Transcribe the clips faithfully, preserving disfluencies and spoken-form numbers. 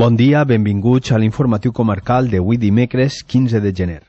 Bon dia, benvinguts a l'informatiu comarcal d'avui dimecres quinze de gener.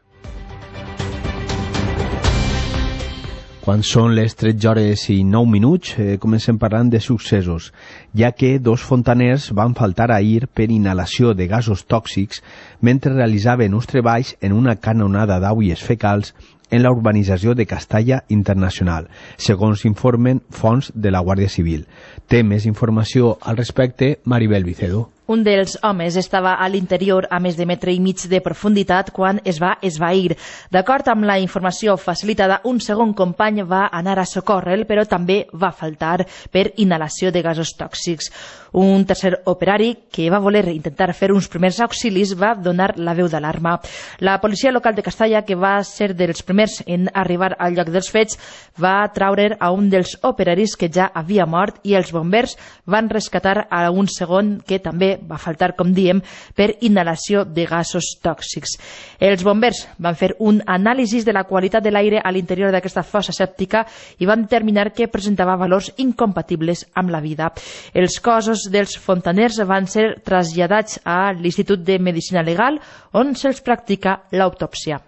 Quan són les tretze hores i nou minuts, eh, comencem parlant de successos, ja que dos fontaners van faltar ahir per inhalació de gasos tòxics mentre realitzaven uns treballs en una canonada d'aules fecals en la urbanització de Castalla Internacional, segons informen fonts de la Guàrdia Civil. Té més informació al respecte Maribel Vicedo. Un dels homes estava a l'interior a més de metre i mig de profunditat quan es va esvair. D'acord amb la informació facilitada, un segon company va anar a socórrer, però també va faltar per inhalació de gasos tòxics. Un tercer operari, que va voler intentar fer uns primers auxilis, va donar la veu d'alarma. La policia local de Castalla, que va ser dels primers en arribar al lloc dels fets, va traure a un dels operaris que ja havia mort i els bombers van rescatar a un segon que també va faltar, com diem, per inhalació de gasos tòxics. Els bombers van fer un anàlisi de la qualitat de l'aire a l'interior d'aquesta fossa sèptica i van determinar que presentava valors incompatibles amb la vida. Els cossos dels fontaners van ser traslladats a l'Institut de Medicina Legal, on se'ls practica l'autòpsia.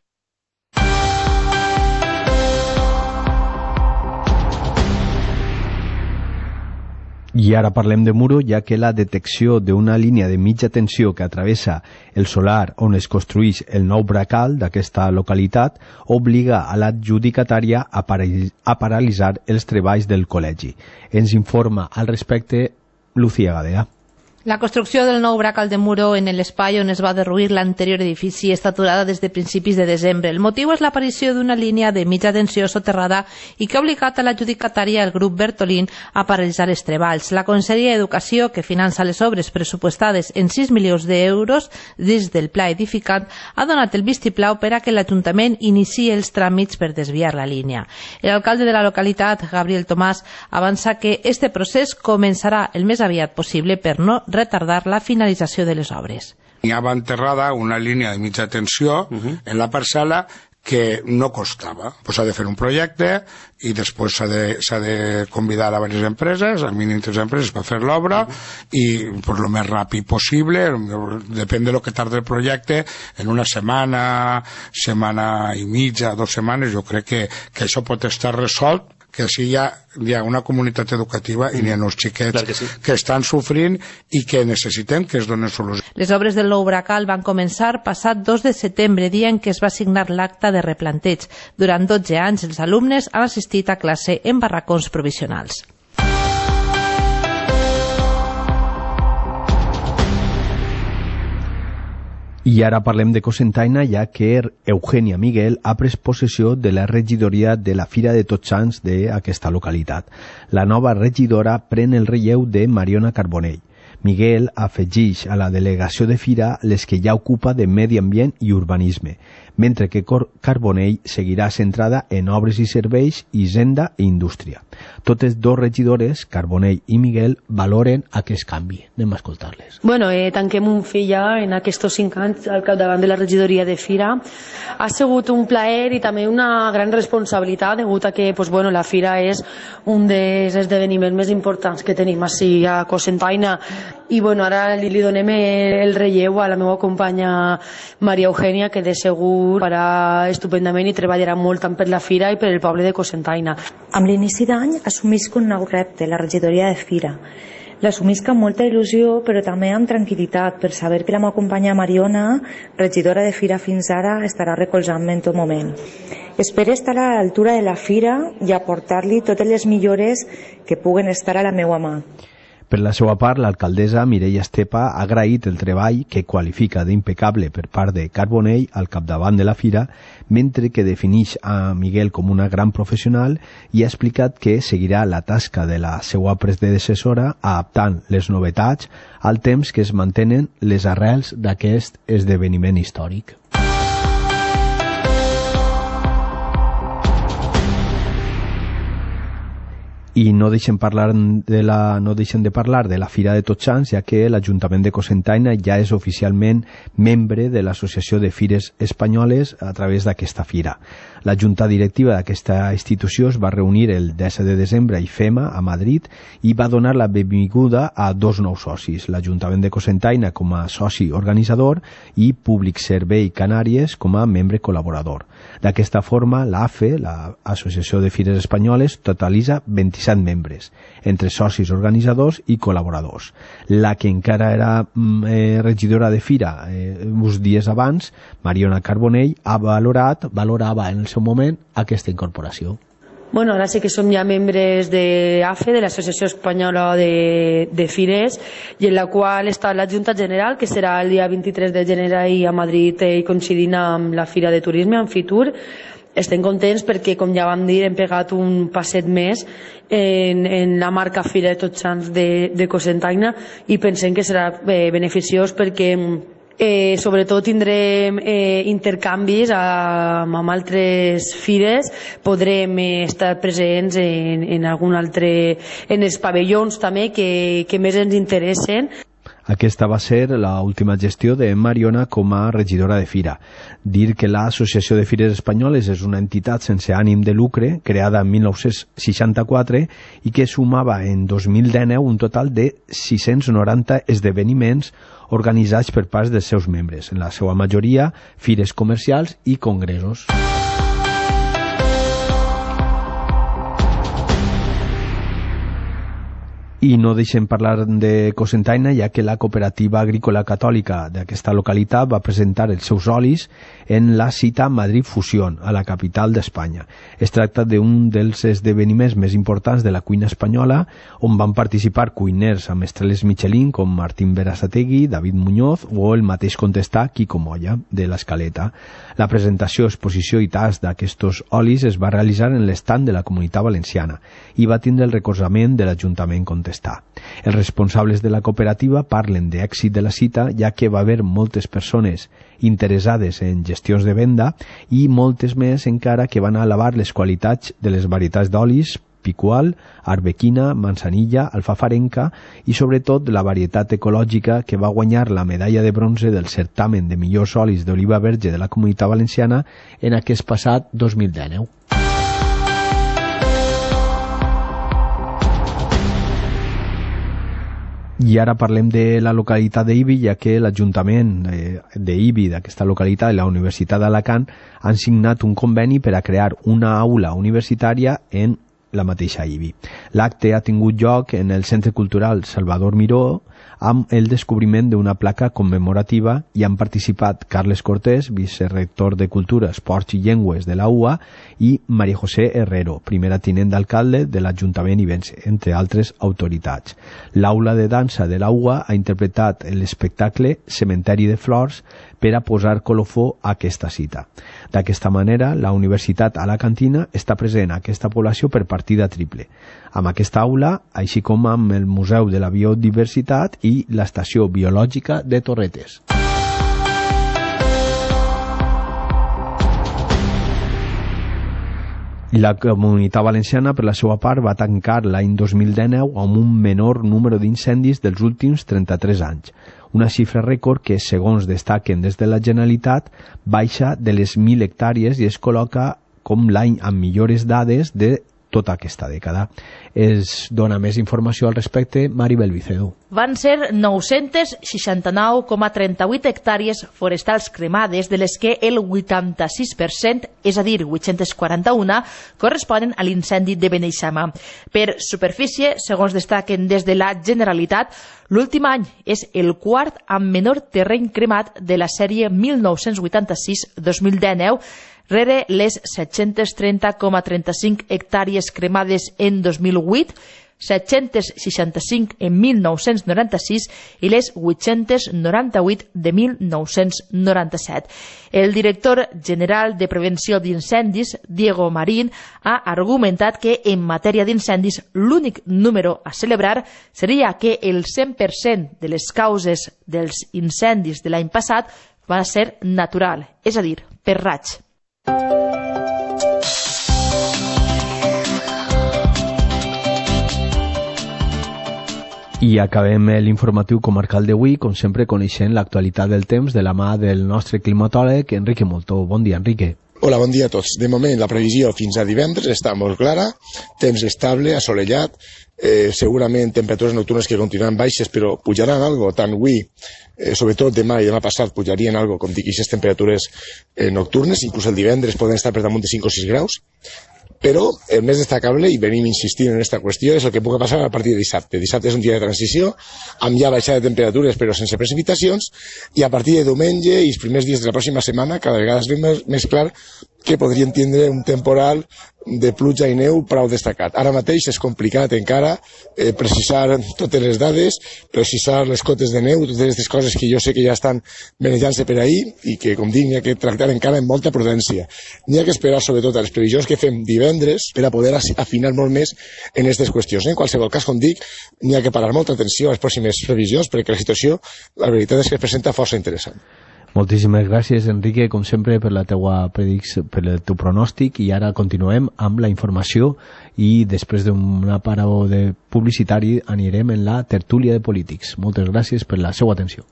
I ara parlem de Muro, ja que la detecció d'una línia de mitja tensió que travessa el solar on es construeix el nou bracal d'aquesta localitat obliga a l'adjudicatària a, a paralitzar els treballs del col·legi. Ens informa al respecte Lucía Gadea. La construcció del nou bracal de Muro en l'espai on es va derruir l'anterior edifici està aturada des de principis de desembre. El motiu és l'aparició d'una línia de mitja tensió soterrada i que ha obligat a l'adjudicatària, el grup Bertolín, a paralitzar els treballs. La Conselleria d'Educació, que finança les obres pressupostades en sis milions d'euros des del pla edificant, ha donat el vistiplau per a que l'Ajuntament iniciï els tràmits per desviar la línia. L'alcalde de la localitat, Gabriel Tomàs, avança que este procés començarà el més aviat possible per no retardar la finalització de les obres. Hi havia enterrada una línia de mitja tensió uh-huh. en la parcel·la que no costava. Pues s'ha de fer un projecte i després s'ha de, s'ha de convidar a diverses empreses, a mínim tres empreses per fer l'obra uh-huh. i per lo més ràpid possible, depèn de lo que tarda el projecte, en una setmana, setmana i mitja, dues setmanes, jo crec que, que això pot estar resolt, que així hi ha, hi ha una comunitat educativa i hi ha uns xiquets que, sí. que estan sofrint i que necessitem que es donen solució. Les obres del nou bracal van començar passat dos de setembre, dia en què es va signar l'acte de replanteig. Durant dotze anys els alumnes han assistit a classe en barracons provisionals. I ara parlem de Cocentaina, ja que Eugènia Miguel ha pres possessió de la regidoria de la Fira de Tots Sants d'aquesta localitat. La nova regidora pren el relleu de Mariona Carbonell. Miguel afegeix a la delegació de Fira les que ja ocupa de Medi Ambient i Urbanisme, mentre que Carbonell seguirà centrada en obres i serveis, hisenda i indústria. Totes dos regidores, Carbonell i Miguel, valoren aquest canvi. Anem a escoltar-les. Bueno, eh, tanquem un fill ja en aquests cinc anys al capdavant de la regidoria de Fira. Ha sigut un plaer i també una gran responsabilitat, degut a que pues, bueno, la Fira és un dels esdeveniments més importants que tenim així a Cocentaina. I bueno, ara li, li donem el relleu a la meva companya Maria Eugènia, que de segur farà estupendament i treballarà molt tant per la Fira i per el poble de Cocentaina. Amb l'inici d'any assumisc un nou repte, la regidoria de Fira. L'assumisc amb molta il·lusió, però també amb tranquil·litat, per saber que la meva companya Mariona, regidora de Fira fins ara, estarà recolzant-me en tot moment. Espero estar a l'altura de la Fira i aportar-li totes les millores que puguen estar a la meva mà. Per la seva part, l'alcaldessa Mireia Estepa ha agraït el treball que qualifica d'impecable per part de Carbonell al capdavant de la Fira, mentre que defineix a Miguel com una gran professional i ha explicat que seguirà la tasca de la seva predecessora adaptant les novetats al temps que es mantenen les arrels d'aquest esdeveniment històric. I no deixen, parlar de la, no deixen de parlar de la Fira de Tots Sants, ja que l'Ajuntament de Cocentaina ja és oficialment membre de l'Associació de Fires Espanyoles a través d'aquesta fira. La junta directiva d'aquesta institució es va reunir el disset de desembre a IFEMA, a Madrid, i va donar la benvinguda a dos nous socis, l'Ajuntament de Cocentaina com a soci organitzador i Públic Servei Canàries com a membre col·laborador. D'aquesta forma, l'A F E, l'Associació de Fires Espanyoles, totalitza vint-i-set membres, entre socis organitzadors i col·laboradors. La que encara era eh, regidora de fira eh, uns dies abans, Mariona Carbonell, ha valorat, valorava en el seu moment aquesta incorporació. Bueno, ara sí que som ja membres de A F E, de l'Associació Espanyola de, de Fires, i en la qual està la Junta General, que serà el dia vint-i-tres de gener ahir a Madrid i coincidint amb la Fira de Turisme, amb Fitur. Estem contents perquè, com ja vam dir, hem pegat un passet més en, en la marca Fira de Tots Sants de, de Cocentaina, i pensem que serà eh, beneficiós perquè eh, sobretot tindrem eh, intercanvis amb, amb altres fires, podrem eh, estar presents en, en algun altre, en els pavellons també que, que més ens interessen. Aquesta va ser l'última gestió de Mariona com a regidora de Fira. Dir que l'Associació de Fires Espanyoles és una entitat sense ànim de lucre, creada en mil nou-cents seixanta-quatre i que sumava en dos mil dinou un total de sis-cents noranta esdeveniments organitzats per part dels seus membres, en la seva majoria fires comercials i congressos. I no deixem parlar de Cocentaina, ja que la Cooperativa Agrícola Catòlica d'aquesta localitat va presentar els seus olis en la cita Madrid Fusión, a la capital d'Espanya. Es tracta d'un dels esdeveniments més importants de la cuina espanyola, on van participar cuiners amb estrelles Michelin com Martín Berasategui, David Muñoz o el mateix contestà Quico Moya, de l'Escaleta. La presentació, exposició i tast d'aquests olis es va realitzar en l'estand de la Comunitat Valenciana i va tindre el recolzament de l'Ajuntament contestat. Els responsables de la cooperativa parlen d'èxit de la cita, ja que va haver moltes persones interessades en gestions de venda i moltes més encara que van alabar les qualitats de les varietats d'olis, picual, arbequina, manzanilla, alfafarenca i sobretot la varietat ecològica que va guanyar la medalla de bronze del certamen de millors olis d'oliva verge de la Comunitat Valenciana en aquest passat dos mil dinou. I ara parlem de la localitat d'Ibi, ja que l'Ajuntament d'Ibi, d'aquesta localitat, i la Universitat d'Alacant han signat un conveni per a crear una aula universitària en la mateixa Ibi. L'acte ha tingut lloc en el Centre Cultural Salvador Miró amb el descobriment d'una placa commemorativa i han participat Carles Cortés, vicerector de Cultura, Esports i Llengües de la U A, i María José Herrero, primera tinent d'alcalde de l'Ajuntament ibense, entre altres autoritats. L'aula de dansa de la U A ha interpretat l'espectacle Cementeri de Flors per a posar colofó a aquesta cita. D'aquesta manera, la Universitat Alacantina està present a aquesta població per partida triple, amb aquesta aula, així com amb el Museu de la Biodiversitat i l'Estació Biològica de Torretes. La Comunitat Valenciana, per la seva part, va tancar l'any dos mil dinou amb un menor número d'incendis dels últims trenta-tres anys, una xifra rècord que, segons destaquen des de la Generalitat, baixa de les mil hectàrees i es col·loca com l'any amb millors dades de tota aquesta dècada. Es dona més informació al respecte Maribel Vicedo. Van ser nou-cents seixanta-nou coma trenta-vuit hectàrees forestals cremades, de les que el vuitanta-sis per cent, és a dir, vuit-cents quaranta-una, corresponen a l'incendi de Beneixama. Per superfície, segons destaquen des de la Generalitat, l'últim any és el quart amb menor terreny cremat de la sèrie mil nou-cents vuitanta-sis dos mil dinou, rere les set-cents trenta coma trenta-cinc hectàrees cremades en dos mil vuit, set-cents seixanta-cinc en mil nou-cents noranta-sis i les vuit-cents noranta-vuit de mil nou-cents noranta-set. El director general de Prevenció d'Incendis, Diego Marín, ha argumentat que en matèria d'incendis l'únic número a celebrar seria que el cent per cent de les causes dels incendis de l'any passat va ser natural, és a dir, per raig. I acabem l'informatiu comarcal d'avui, com sempre, coneixent l'actualitat del temps de la mà del nostre climatòleg, Enrique Moltó. Bon dia, Enrique. Hola, bon dia a tots. De moment, la previsió fins a divendres està molt clara, temps estable, assolellat, eh, segurament temperatures nocturnes que continuaran baixes, però pujaran algo, tant avui, eh, sobretot demà i demà passat, pujarien algo, com dic, aquestes temperatures eh, nocturnes, inclús el divendres poden estar per damunt de cinc o sis graus, però el més destacable, i venim insistint en aquesta qüestió, és el que pugui passar a partir de dissabte. Dissabte és un dia de transició, amb ja baixada de temperatures però sense precipitacions, i a partir de diumenge i els primers dies de la pròxima setmana cada vegada es veu més, més clar que podrien tindre un temporal de pluja i neu prou destacat. Ara mateix és complicat encara eh, precisar totes les dades, precisar les cotes de neu, totes aquestes coses que jo sé que ja estan manejant-se per ahir i que, com dic, n'hi ha que tractar encara amb molta prudència. N'hi ha que esperar sobretot a les previsions que fem divendres per a poder afinar molt més en aquestes qüestions. En qualsevol cas, com dic, n'hi ha que parar molta atenció a les pròximes previsions perquè la situació, la veritat és que es presenta força interessant. Moltíssimes gràcies, Enrique, com sempre, per la teua predicció, per el teu pronòstic, i ara continuem amb la informació i després d'una parada de publicitari anirem en la tertúlia de polítics. Moltes gràcies per la seva atenció.